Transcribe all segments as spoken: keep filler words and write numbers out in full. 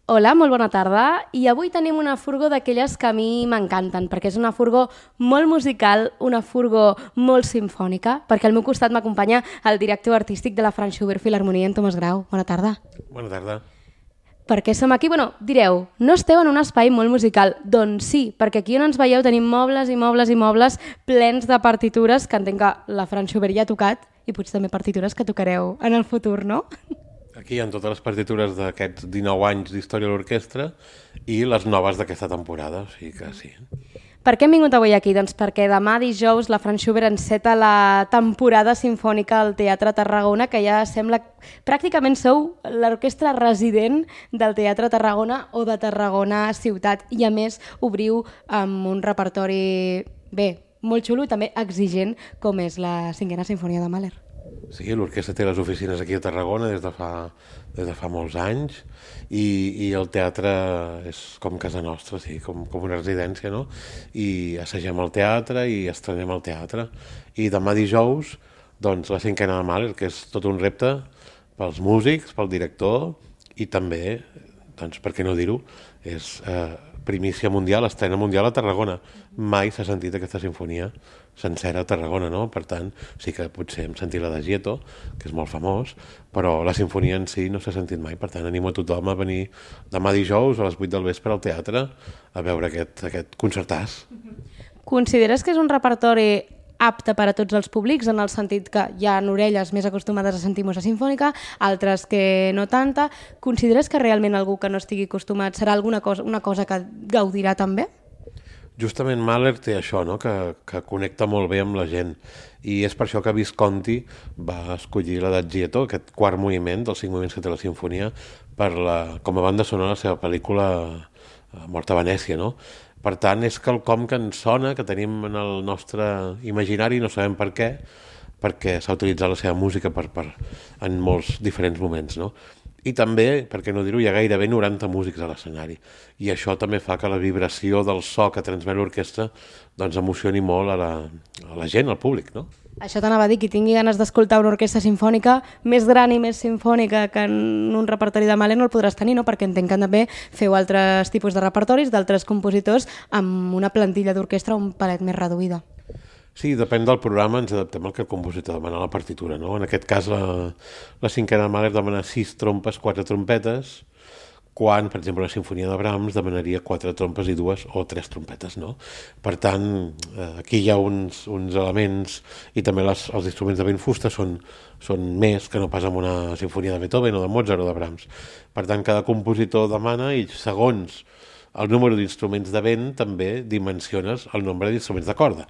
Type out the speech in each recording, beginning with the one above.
Hola, molt bona tarda. I avui tenim una furgó d'aquelles que a mi m'encanten, perquè és una furgó molt musical, una furgó molt simfònica, perquè al meu costat m'acompanya el director artístic de la Franz Schubert Filharmonia, en Tomàs Grau. Bona tarda. Bona tarda. Per què som aquí? Bueno, direu, no esteu en un espai molt musical. Doncs sí, perquè aquí on ens veieu tenim mobles i mobles i mobles plens de partitures que entenc que la Franz Schubert ja ha tocat i potser també partitures que tocareu en el futur, no? Aquí hi ha totes les partitures d'aquests dinou anys d'història de l'orquestra i les noves d'aquesta temporada, o sigui que sí. Per què hem vingut avui aquí? Doncs perquè demà dijous la Franz Schubert enceta la temporada sinfònica al Teatre Tarragona, que ja sembla pràcticament sou l'orquestra resident del Teatre Tarragona o de Tarragona ciutat, i a més obriu amb un repertori bé, molt xulo i també exigent, com és la cinquena sinfonia de Mahler. Sí, l'orquestra té les oficines aquí a Tarragona des de fa, des de fa molts anys i, i el teatre és com casa nostra, sí, com, com una residència, no? I assagem al teatre i estrenem al teatre. I demà dijous, doncs, la cinquena de Mahler, que és tot un repte pels músics, pel director i també, doncs, per què no dir-ho, és eh, primícia mundial, estrena mundial a Tarragona. Mai s'ha sentit aquesta sinfonia sencera a Tarragona, no? Per tant, sí que potser hem sentit la de Gieto, que és molt famós, però la sinfonia en si no s'ha sentit mai. Per tant, animo a tothom a venir demà dijous a les vuit del vespre al teatre a veure aquest, aquest concertàs. Consideres que és un repertori apte per a tots els públics, en el sentit que hi ha orelles més acostumades a sentir música sinfònica, altres que no tanta? Consideres que realment algú que no estigui acostumat serà alguna cosa, una cosa que gaudirà també? Justament Mahler té això, no? que, que connecta molt bé amb la gent, i és per això que Visconti va escollir la de Gieto, aquest quart moviment dels cinc moviments que té la sinfonia, per la, com a banda sonora la seva pel·lícula Mort a Venècia, no? Per tant, és quelcom que ens sona, que tenim en el nostre imaginari, no sabem per què, perquè s'ha utilitzat la seva música per, per, en molts diferents moments, no? I també, per què no dir-ho, hi ha gairebé noranta músics a l'escenari, i això també fa que la vibració del so que transmet l'orquestra doncs emocioni molt a la, a la gent, al públic, no? Això t'anava a dir, qui tingui ganes d'escoltar una orquestra sinfònica més gran i més sinfònica que en un repertori de Mahler no el podràs tenir, no? Perquè entenc que també feu altres tipus de repertoris d'altres compositors amb una plantilla d'orquestra un palet més reduïda. Sí, depèn del programa, ens adaptem al que el compositor demana a la partitura, no? En aquest cas, la, la cinquena de Mahler demana sis trompes, quatre trompetes, quan, per exemple, la sinfonia de Brahms demanaria quatre trompes i dues o tres trompetes, no? Per tant, aquí hi ha uns, uns elements, i també les, els instruments de vent fusta són, són més que no pas en una sinfonia de Beethoven o de Mozart o de Brahms. Per tant, cada compositor demana, i segons el número d'instruments de vent també dimensiones el nombre d'instruments de corda.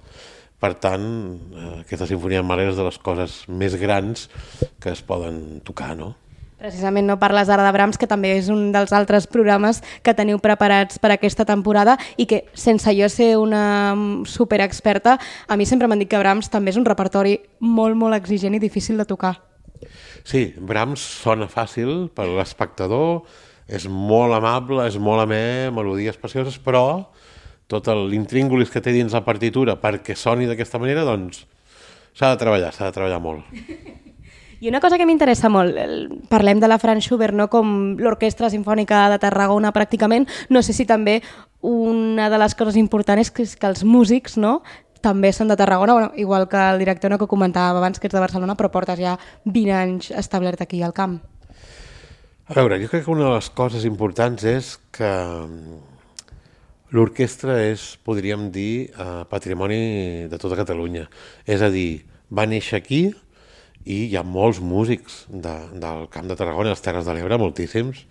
Per tant, aquesta sinfonia de Mahler és de les coses més grans que es poden tocar, no? Precisament no parles ara de Brahms, que també és un dels altres programes que teniu preparats per aquesta temporada i que, sense jo ser una superexperta, a mi sempre m'han dit que Brahms també és un repertori molt, molt exigent i difícil de tocar. Sí, Brahms sona fàcil per l'espectador, és molt amable, és molt amè, melodies precioses, però tot l'intríngulis que té dins la partitura perquè soni d'aquesta manera, doncs s'ha de treballar, s'ha de treballar molt. I una cosa que m'interessa molt, parlem de la Franz Schubert, no? Com l'Orquestra Simfònica de Tarragona pràcticament, no sé si també una de les coses importants és que els músics, no?, també són de Tarragona, bueno, igual que el director, no, que comentàvem abans, que ets de Barcelona, però portes ja vint anys establert aquí al camp. A veure, jo crec que una de les coses importants és que l'orquestra és, podríem dir, eh, patrimoni de tota Catalunya. És a dir, va néixer aquí i hi ha molts músics de, del Camp de Tarragona i les Terres de l'Ebre, moltíssims,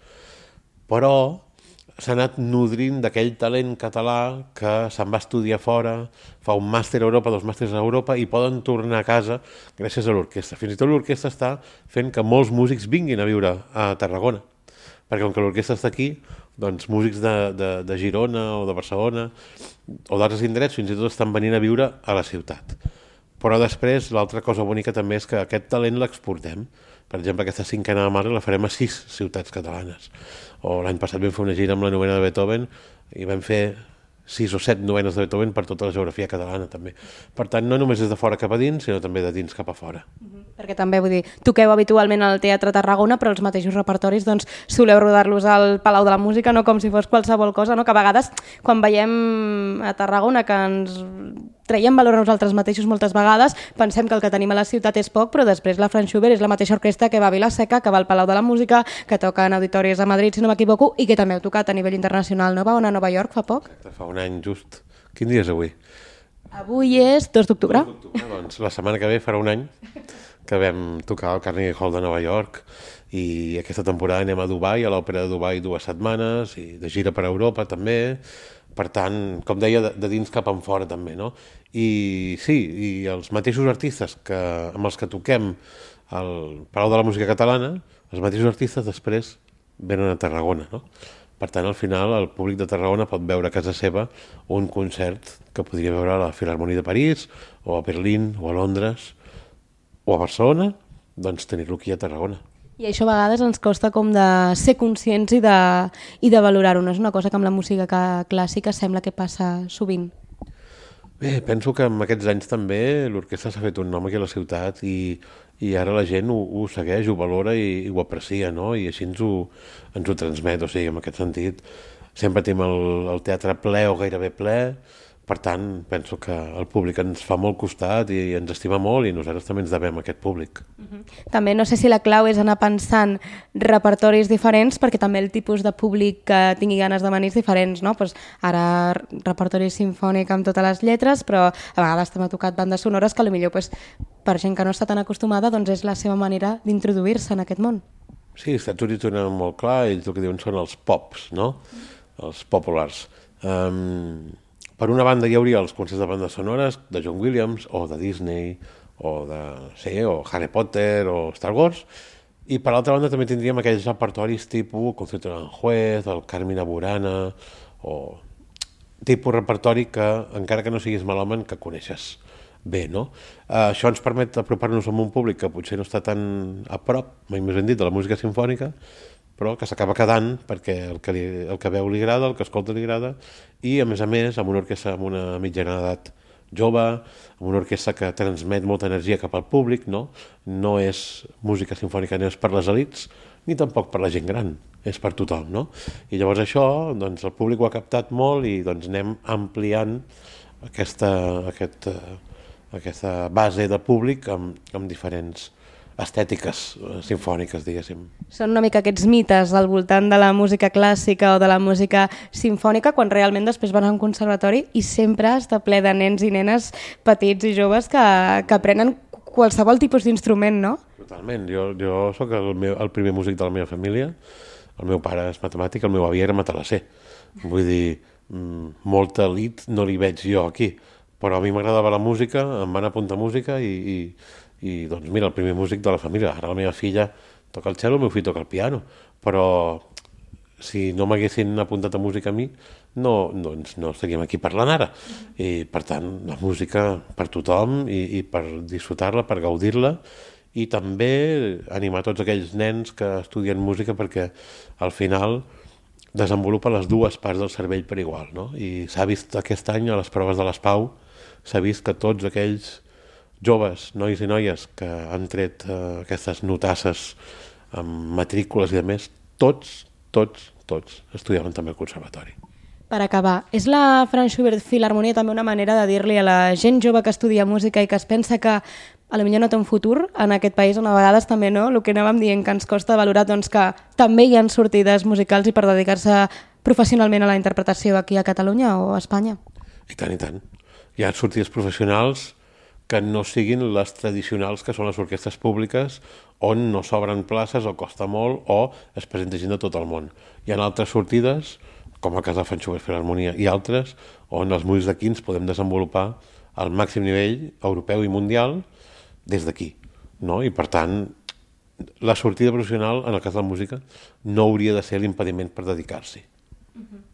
però s'ha anat nodrint d'aquell talent català que se'n va estudiar fora, fa un màster a Europa, dos màsters a Europa, i poden tornar a casa gràcies a l'orquestra. Fins i tot l'orquestra està fent que molts músics vinguin a viure a Tarragona, perquè com que l'orquestra està aquí, doncs músics de, de, de Girona o de Barcelona o d'altres indrets fins i tot estan venint a viure a la ciutat. Però després l'altra cosa bonica també és que aquest talent l'exportem. Per exemple, aquesta cinquena de Mahler la farem a sis ciutats catalanes. O l'any passat vam fer una gira amb la novena de Beethoven i vam fer sis o set novenes de Beethoven per tota la geografia catalana, també. Per tant, no només des de fora cap a dins, sinó també de dins cap a fora. Mm-hmm. Perquè també, vull dir, toqueu habitualment al Teatre Tarragona, però els mateixos repertoris, doncs, soleu rodar-los al Palau de la Música, no com si fos qualsevol cosa, no? Que a vegades, quan veiem a Tarragona que ens traiem valor a nosaltres mateixos moltes vegades, pensem que el que tenim a la ciutat és poc, però després la Franz Schubert és la mateixa orquestra que va a Vila-seca, que va al Palau de la Música, que toca en auditoris a Madrid, si no m'equivoco, i que també heu tocat a nivell internacional, no? Va anar a Nova York fa poc? Exacte, fa un any just. Quin dia és avui? Avui és dos d'octubre. Doncs la setmana que ve farà un any que vam tocar al Carnegie Hall de Nova York i aquesta temporada anem a Dubai, a l'Òpera de Dubai dues setmanes i de gira per Europa també. Per tant, com deia, de, de dins cap en fora també, no? I sí, i els mateixos artistes que, amb els que toquem al Palau de la Música Catalana, els mateixos artistes després venen a Tarragona, no? Per tant, al final, el públic de Tarragona pot veure a casa seva un concert que podria veure a la Filharmonia de París, o a Berlín, o a Londres, o a Barcelona, doncs tenir-lo aquí a Tarragona. I això a vegades ens costa com de ser conscients i de, i de valorar-ho. No és una cosa que amb la música clàssica sembla que passa sovint. Bé, penso que en aquests anys també l'orquestra s'ha fet un nom aquí a la ciutat i, i ara la gent ho, ho segueix, ho valora i, i ho aprecia, no? I així ens ho, ens ho transmet, o sigui, en aquest sentit sempre tenim el, el teatre ple o gairebé ple. Per tant, penso que el públic ens fa molt costat i ens estima molt i nosaltres també ens devem a aquest públic. Uh-huh. També no sé si la clau és anar pensant repertoris diferents perquè també el tipus de públic que tingui ganes de venir és diferents, no? Pues ara repertori simfònic amb totes les lletres, però a vegades també ha tocat bandes sonores que potser pues, per gent que no està tan acostumada doncs és la seva manera d'introduir-se en aquest món. Sí, als Estats Units ho tenen molt clar, ells el que diuen són els pops, no? Els populars. Um, Per una banda hi hauria els concerts de bandes sonores de John Williams o de Disney o de sí, o Harry Potter o Star Wars i per l'altra banda també tindríem aquells repertoris tipus Concierto de Aranjuez, el Carmina Burana o tipus repertori que encara que no siguis melòman que coneixes bé, no? Uh, això ens permet apropar-nos a un públic que potser no està tan a prop, mai més ben dit, de la música simfònica, però que s'acaba quedant perquè el que, li, el que veu li agrada, el que escolta li agrada, i a més a més amb una orquestra amb una mitjana d'edat jove, amb una orquestra que transmet molta energia cap al públic, no? No és música simfònica, no és per les elits, ni tampoc per la gent gran, és per tothom, no? I llavors això, doncs el públic ho ha captat molt i doncs anem ampliant aquesta, aquest, aquesta base de públic amb, amb diferents estètiques simfòniques, diguéssim. Són una mica aquests mites al voltant de la música clàssica o de la música simfònica quan realment després van a un conservatori i sempre està ple de nens i nenes petits i joves que, que aprenen qualsevol tipus d'instrument, no? Totalment. Jo, jo sóc el, meu, el primer músic de la meva família. El meu pare és matemàtic, el meu avi era matalasser. Vull dir, molta elit no li veig jo aquí. Però a mi m'agradava la música, em van apuntar música i... i i doncs mira, el primer músic de la família. Ara la meva filla toca el cello, el meu fill toca el piano, però si no m'haguessin apuntat a música a mi no, doncs no estaríem aquí parlant ara. I per tant la música per tothom i, i per disfrutar-la, per gaudir-la i també animar tots aquells nens que estudien música perquè al final desenvolupa les dues parts del cervell per igual, no? I s'ha vist aquest any a les proves de l'ESPAU, s'ha vist que tots aquells joves, nois i noies que han tret eh, aquestes notasses amb matrícules i a més, tots, tots, tots estudiaven també al conservatori. Per acabar, és la Franz Schubert Filharmonia també una manera de dir-li a la gent jove que estudia música i que es pensa que a lo millor no té un futur en aquest país on a vegades també no, el que anàvem dient que ens costa valorar doncs que també hi ha sortides musicals i per dedicar-se professionalment a la interpretació aquí a Catalunya o a Espanya? I tant, i tant. Hi ha sortides professionals que no siguin les tradicionals que són les orquestres públiques on no s'obren places o costa molt o es presenta gent de tot el món. Hi ha altres sortides, com el cas de la Franz Schubert Filharmonia i altres, on els músics d'aquí ens podem desenvolupar al màxim nivell europeu i mundial des d'aquí, no? I per tant, la sortida professional, en el cas de la música, no hauria de ser l'impediment per dedicar-s'hi. Uh-huh.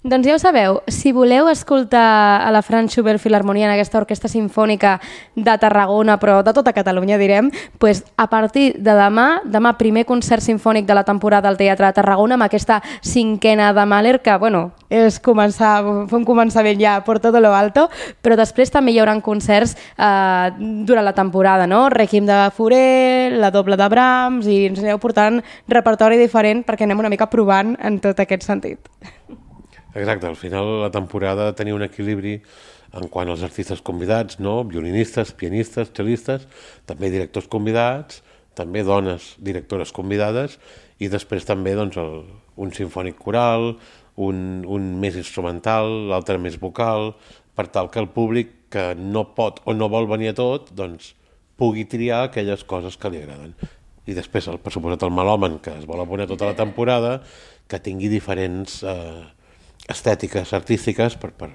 Doncs ja ho sabeu, si voleu escoltar a la Franz Schubert Filharmonia en aquesta orquestra sinfònica de Tarragona, però de tota Catalunya direm, doncs a partir de demà, demà primer concert sinfònic de la temporada al Teatre de Tarragona amb aquesta cinquena de Mahler, que bueno, és començar, fer un començament ja per tot lo alto, però després també hi haurà concerts eh, durant la temporada, no? Requiem de Fauré, la doble de Brahms, i ens aneu portant repertori diferent perquè anem una mica provant en tot aquest sentit. Exacte, al final la temporada tenia un equilibri en quant als artistes convidats, no? Violinistes, pianistes, cellistes, també directors convidats, també dones directores convidades i després també doncs, el, un sinfònic coral, un, un més instrumental, l'altre més vocal, per tal que el públic que no pot o no vol venir a tot doncs, pugui triar aquelles coses que li agraden. I després, el, per suposat, el melòman que es vol abonar tota la temporada, que tingui diferents eh, estètiques artístiques per, per,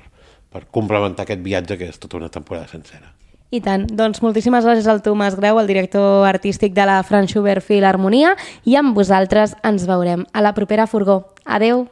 per complementar aquest viatge que és tota una temporada sencera. I tant. Doncs moltíssimes gràcies al Tomàs Grau, el director artístic de la Franz Schubert Filharmonia, i amb vosaltres ens veurem a la propera furgó. Adeu!